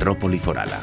Metrópoli Forala.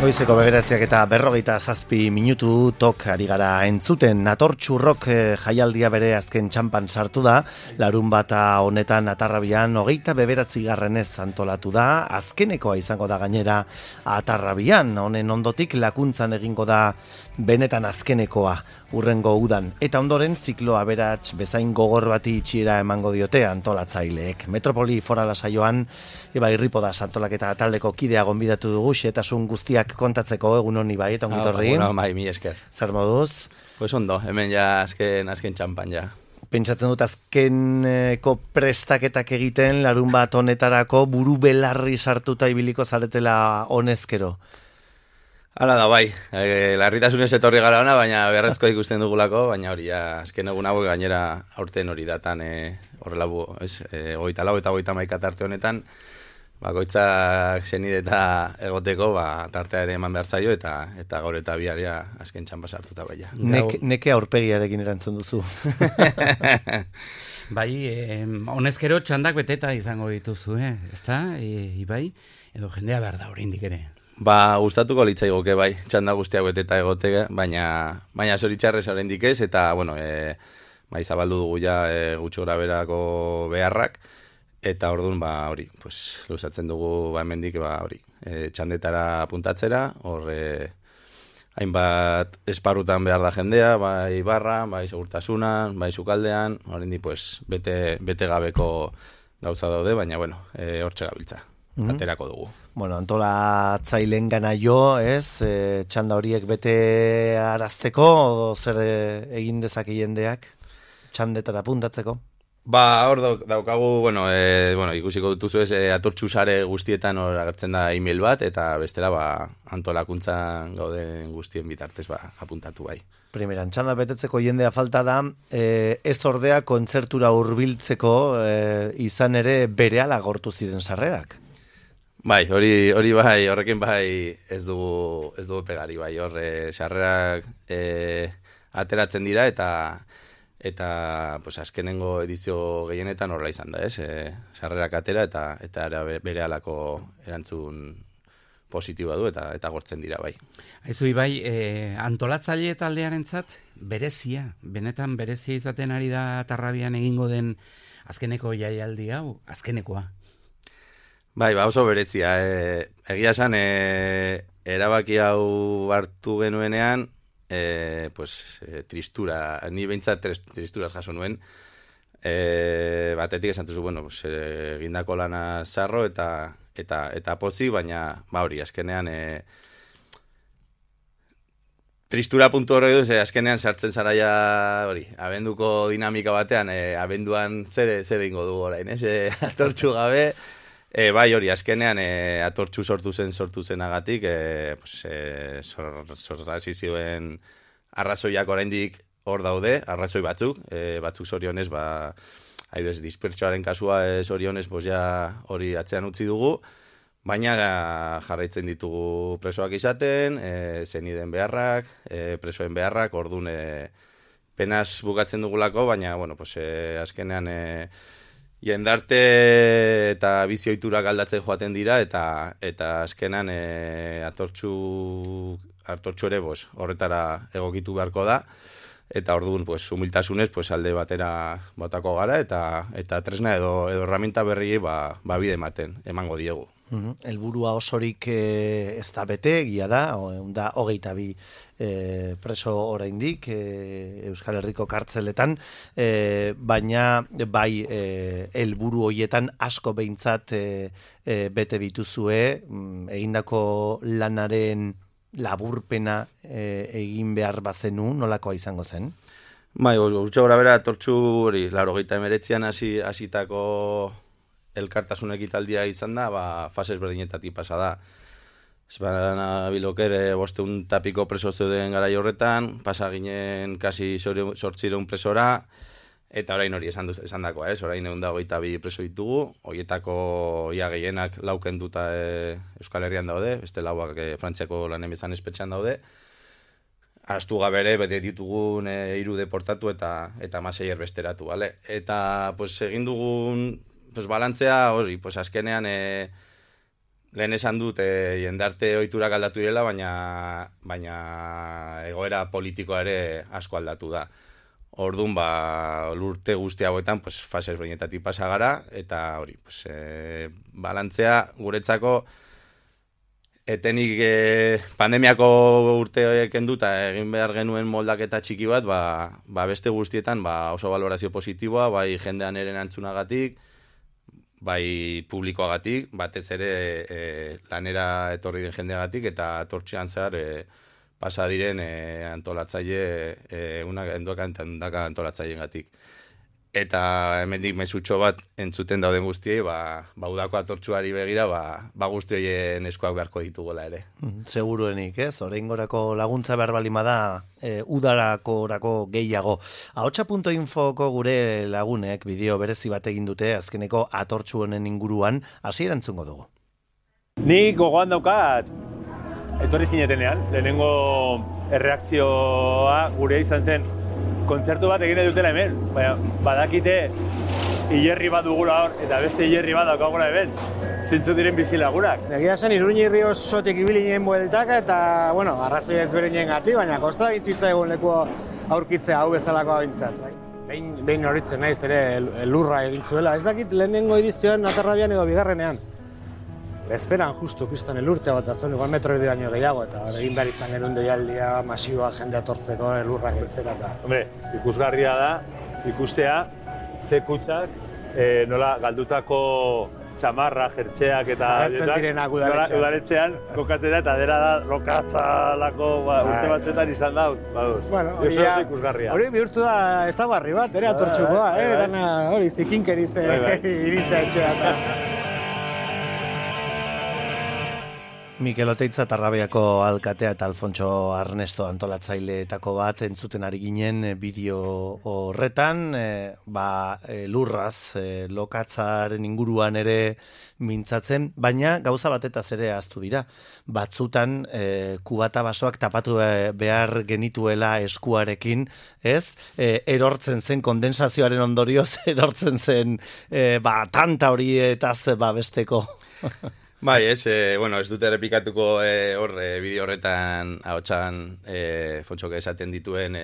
Goizeko 9:47 minutu tok ari gara entzuten. Natortxurrok jaialdia bere azken txampan sartu da. Larunbata honetan Atarrabian 29. antolatu da. Azkenekoa izango da gainera Atarrabian. Honen ondotik Lakuntzan egingo da benetan azkenekoa urrengo udan. Eta ondoren ziklo aberats bezain gogor bati itxiera emango diote antolatzaileek. Metrópoli Forala saioan Ibai Ripodas antolaketa taldeko kidea gonbidatu dugu, xehetasun guztiak kontatzeko. Egun honi bai, eta ongitorri. Bueno, bai, mi esker. Zer moduz? Pues ondo, hemen ja azken txampan ja. Pentsatzen dut azkeneko prestaketak egiten larun bat honetarako buru belarri sartuta ibiliko zaretela honezkero. Hala da, bai. Larritasunez etorri gara ona, baina beharrezko ikusten dugulako, baina hori, azken egun hauek gainera aurten hori datan, horrela, 24 eta 31 tarte honetan, bakoitzak senide eta egoteko, tartea ere eman behar zaio, eta gaur eta biharia azken txampa sartuta baina. Neke aurpegiarekin erantzun duzu. Bai, honezkero txandak beteta izango dituzu, ezta? Ibai, edo jendea behar da oraindik ere. Gustatuko litzaigoke bai, txanda guztiak beteta egoteke, baina zoritxarrez oraindik ez, eta, bueno, zabaldu dugu ja gutxo graberako beharrak, eta orduan, hori, luzatzen dugu, hemendik, hori, txandetara puntatzera, hor, hainbat esparrutan behar da jendea, bai barran, bai segurtasunan, bai sukaldean, oraindik, bete gabeko gauza daude, baina, bueno, hortxe gabiltza, aterako dugu. Bueno, antolatzaileen gana jo, ez? Txanda horiek bete arazteko, o zer egin dezake jendeak txandetara puntatzeko? Hor daukagu, ikusiko dutuzu ez, atortxu sare guztietan hor agertzen da email bat, eta bestela antolakuntzan gauden guztien bitartez apuntatu bai. Primeran, txanda betetzeko jendea falta da, ez ordea kontzertura hurbiltzeko izan ere berehala gortu ziren sarrerak. Bai, hori bai, horrekin bai ez dugu pegari, bai, horre sarrerak ateratzen dira eta azkenengo edizio gehienetan horrela izan da, ez? Sarrerak atera eta bere alako erantzun positiboa du eta gortzen dira, bai. Aizu, Ibai, antolatzaile taldearentzat berezia, benetan berezia izaten ari da Atarrabian egingo den azkeneko jaialdi hau, azkenekoa. Bai, oso berezia. Egia esan, erabaki hau hartu genuenean, tristura, ni behintzat tristuraz jaso nuen. Batetik esan duzu, egindako lana zarro eta pozi, baina, hori, azkenean, tristura puntu horre duz, azkenean sartzen zara ja, hori, abenduko dinamika batean, abenduan zer ingo dugu orain, atortxu gabe. Bai, hori, azkenean atortxu sortu zenagatik, sorrazi zioen arrazoiak oraindik hor daude, arrazoi batzuk zorionez, dispertsoaren kasua zorionez, hori atzean utzi dugu, baina jarraitzen ditugu presoak izaten, zeniden beharrak, presoen beharrak, orduan penaz bukatzen dugulako, baina, azkenean jendarte eta bizioiturak aldatzen joaten dira, eta azkenan atortxu ere horretara egokitu beharko da, eta orduan humiltasunez alde batera botako gara, eta tresna edo herramienta berri bide ematen, emango diegu. Helburua osorik ez da bete, egia da 22 preso oraindik Euskal Herriko kartzeletan, baina bai helburu hoietan asko behintzat bete dituzue, egindako lanaren laburpena egin behar bazenu, nolakoa izango zen? Bai, gutxo gora bera, Atortxu hori, 89an hasitako elkartasun ekitaldia izan da, fases berdinetatik pasa da. Esparana bilokere 500 eta piko preso zeuden garai horretan, pasa ginen kasi 800 presora, eta orain hori esan dakoa, orain 122 preso ditugu, horietako ia gehienak laukenduta Euskal Herrian daude, beste lauak Frantziako lanen bezan espetxean daude, astu gabere, bete ditugun 3 deportatu eta 16 erbesteratu, bale? Eta, egin dugun, balantzea, hori, azkenean, lehen esan dut, jendarte ohiturak aldatu direla, baina egoera politikoa ere asko aldatu da. Orduan, lurte guzti hauetan, fases berdinetatik pasa gara, eta hori, balantzea guretzako, etenik pandemiako urte kenduta egin behar genuen moldaketa txiki bat, beste guztietan oso valorazio positiboa, bai jendean eren antzunagatik, bai publikoagatik, batez ere lanera etorri den jendeagatik, eta Atortxean zehar pasa diren antolatzaile, endaka antolatzaileengatik. Eta hemendik mezutxo bat entzuten dauden guztiei, udako Atortxuari begira, guzti horien eskuak beharko ditugola ere. Seguruenik, ez? Oraingorako laguntza behar balima da, udarakorako gehiago. Ahotsa.infoko gure lagunek bideo berezi bat egin dute azkeneko Atortxu honen inguruan, hasi erantzungo dugu. Ni gogoan daukat, etorri zinetenean, lehenengo erreakzioa gure izan zen, kontzertu bat egin dutela hemen, badakite hilerri bat dugula hor, eta beste hilerri bat daukagula hemen, zintzu diren bizilagunak. Egia zen, Iruñirri osotik ibili nien bueltaka, eta, arrazoi ezberdinen gati, baina kosta bintzitza egon leku aurkitzea hau bezalakoa bintzat. Behin horitzen naiz ere lurra egin zuela, ez dakit lehenengo edizioan Atarrabian edo bigarrenean. Esperan justu pistan elurte bat, azuen igual metro baino gehiago, eta egin behar izan genuen deialdia masiboa jende atortzeko elurrak entzera. Hombre, ikusgarria da, ikustea, ze kutsak, nola galdutako txamarra, jertxeak eta udaletxean kokatzen da, eta dera da lokatzalako urte batzetan izan da. Hori bihurtu da ezagarri bat, ere Atortxukoa, hori zikinkeriz iristea etxea. Mikel Oteitza Tarrabiako alkatea eta Alfontso Arnesto antolatzaileetako bat entzuten ari ginen bideo horretan, lurraz, lokatzaren inguruan ere mintzatzen, baina gauza batetaz ere ahaztu dira. Batzutan kubata basoak tapatu behar genituela eskuarekin, ez? Erortzen zen kondensazioaren ondorioz, erortzen zen tanta horietaz besteko. Bai, ez dute errepikatuko bideo horretan ahotsan Fontxok esaten duen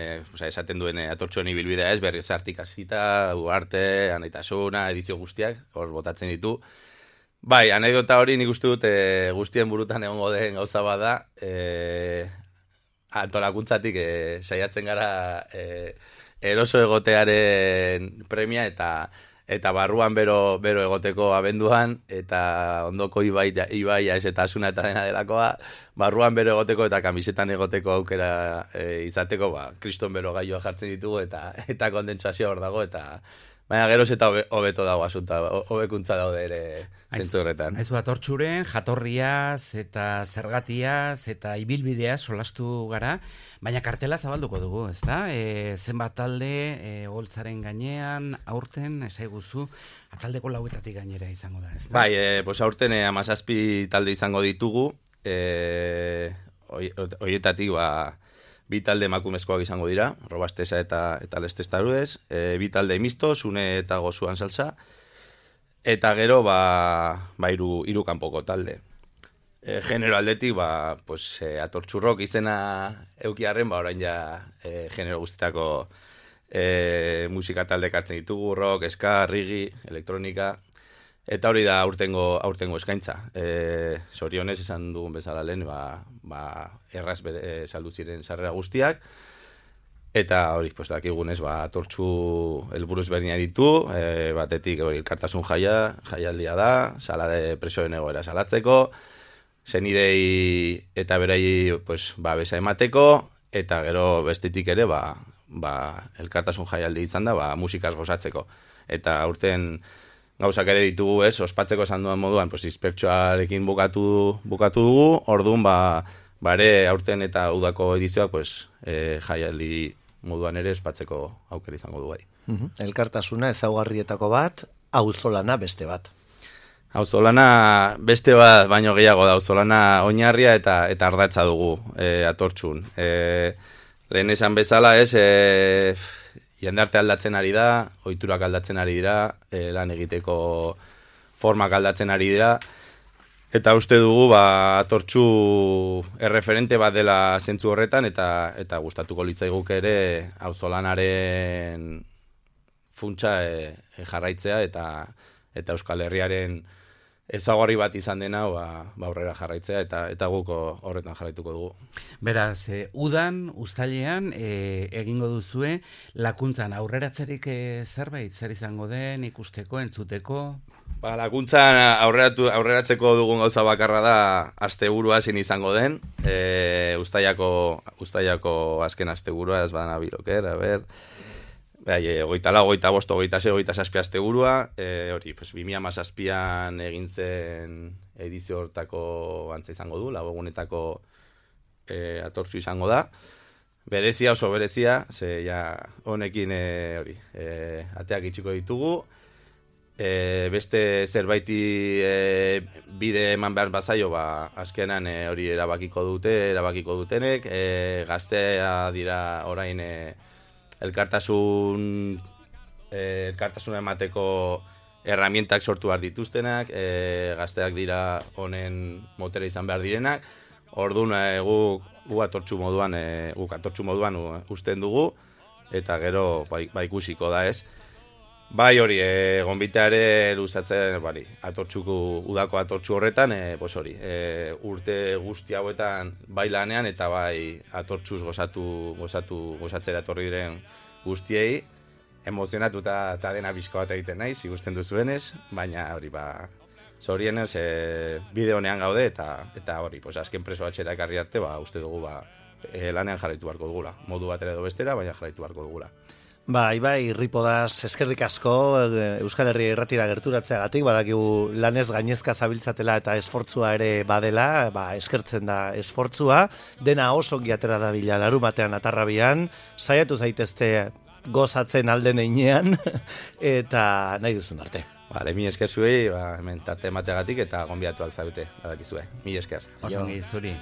Atortxuen ibilbidea ez, berriz hartik hasita, Ugarte, Anaitasuna, edizio guztiak, hor botatzen ditu. Bai, anekdota hori nik uste dut guztien burutan egongo den gauza bada, antolakuntzatik saiatzen gara eroso egotearen premia eta barruan bero egoteko abenduan, eta ondoko ibaia ez eta asuna eta dena delakoa, barruan bero egoteko eta kamisetan egoteko aukera izateko, kriston bero gaioa jartzen ditugu eta kondentsazioa hor dago, eta baina geroz eta hobeto dago asunta, hobekuntza daude ere zentzu horretan. Aizu Atortxuren jatorriaz eta zergatiaz eta ibilbideaz solastu gara, baina kartela zabalduko dugu, ezta? Zenbat talde, holtzaren gainean, aurten, esaiguzu, atxaldeko 4etatik gainera izango da, ezta? Bai, aurten 17 talde izango ditugu, horietatik 2 talde emakumezkoak izango dira, Robastesa eta Lestes Taruez, 2 talde misto, Sune eta Gozuan Salsa, eta gero 3 kanpoko talde. Genero aldetik, Atortxurrok izena eukiarren, orain ja genero guztietako musika talde kartzen ditugu, rock, ska, reggae, elektronika, eta hori da aurtengo eskaintza. Zorionez esan dugun bezala lehen, erraz saldu ziren sarrera guztiak, eta hori, dakigunez, Atortxu helburuz berdina ditu, batetik elkartasun jaialdia da, sala de presoen egoera salatzeko, zenidei eta berei pues, besa emateko, eta gero bestetik ere elkartasun jaialdi izan da musikaz gozatzeko. Eta aurten gauzak ere ditugu ospatzeko esan duen moduan, pues, dispertsoarekin bukatu dugu, orduan ere aurten eta udako edizioak pues, jaialdi moduan ere ospatzeko aukera izango du bai. Elkartasuna ezaugarrietako bat, auzolana beste bat. Auzolana beste bat baino gehiago da, auzolana oinarria eta ardatza dugu atortxun. Lehen esan bezala jendarte aldatzen ari da, ohiturak aldatzen ari dira, lan egiteko formak aldatzen ari dira, eta uste dugu atortxu erreferente bat dela zentzu horretan, eta gustatuko litzaiguk ere auzolanaren funtsa jarraitzea, eta Euskal Herriaren ezaugarri bat izan dena aurrera jarraitzea, eta guk horretan jarraituko dugu. Beraz, udan, uztailean, egingo duzue, lakuntzan aurreratzerik zerbait, zer izango den, ikusteko, entzuteko? Lakuntzan aurreratzeko dugun gauza bakarra da, asteburua ezin izango den, uztailako azken asteburua, ez badana biloker, a ber... 24, 25, 26, 27 asteburua, hori, 2017an egin zen edizio hortako antza izango du, lau egunetako atortzu izango da. Berezia, oso berezia, ze ja honekin hori, ateak itxiko ditugu. Beste zerbaiti bide eman behar bazaio, azkenan hori erabakiko dutenek, gaztea dira orain elkartasuna emateko herramientak sortu behar dituztenak, gazteak dira honen motera izan behar direnak, orduan guk atortxu moduan usten dugu, eta gero ikusiko da ez. Bai hori, gonbitea ere luzatzen, udako atortxu horretan, urte guzti hauetan bai lanean eta bai atortxuz gozatzera etorri diren guztiei, emozionatu eta dena bizko bat egiten naiz, ikusten duzuenez, baina hori zorienez bide honean gaude eta hori, azken preso atxera ekarri arte, uste dugu lanean jarraitu beharko dugula, modu batera edo bestera, baina jarraitu beharko dugula. Ibai Ripodaz, eskerrik asko Euskal Herria irratira gerturatzeagatik, badakigu lanez gainezka zabiltzatela eta esfortzua ere badela, eskertzen da esfortzua, dena oso ongi atera dabila larunbatean Atarrabian, saiatu zaitezte gozatzen alden heinean, eta nahi duzun arte. Mi esker zuei, hemen tarte emateagatik eta gonbidatuak zaudete, badakizue. Mi esker. Oso ongi zuri.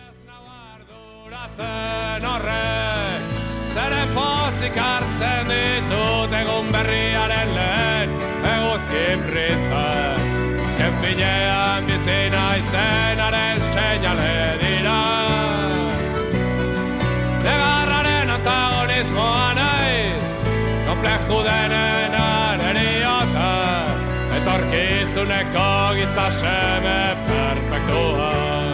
Zeren pozik hartzen ditut egun berriaren lehen eguzkin britzen. Azken finean bizina izenaren seinale dira. Negarraren antagonismoa naiz, kompleju denen eriota, etorkizuneko giza seme perfektua.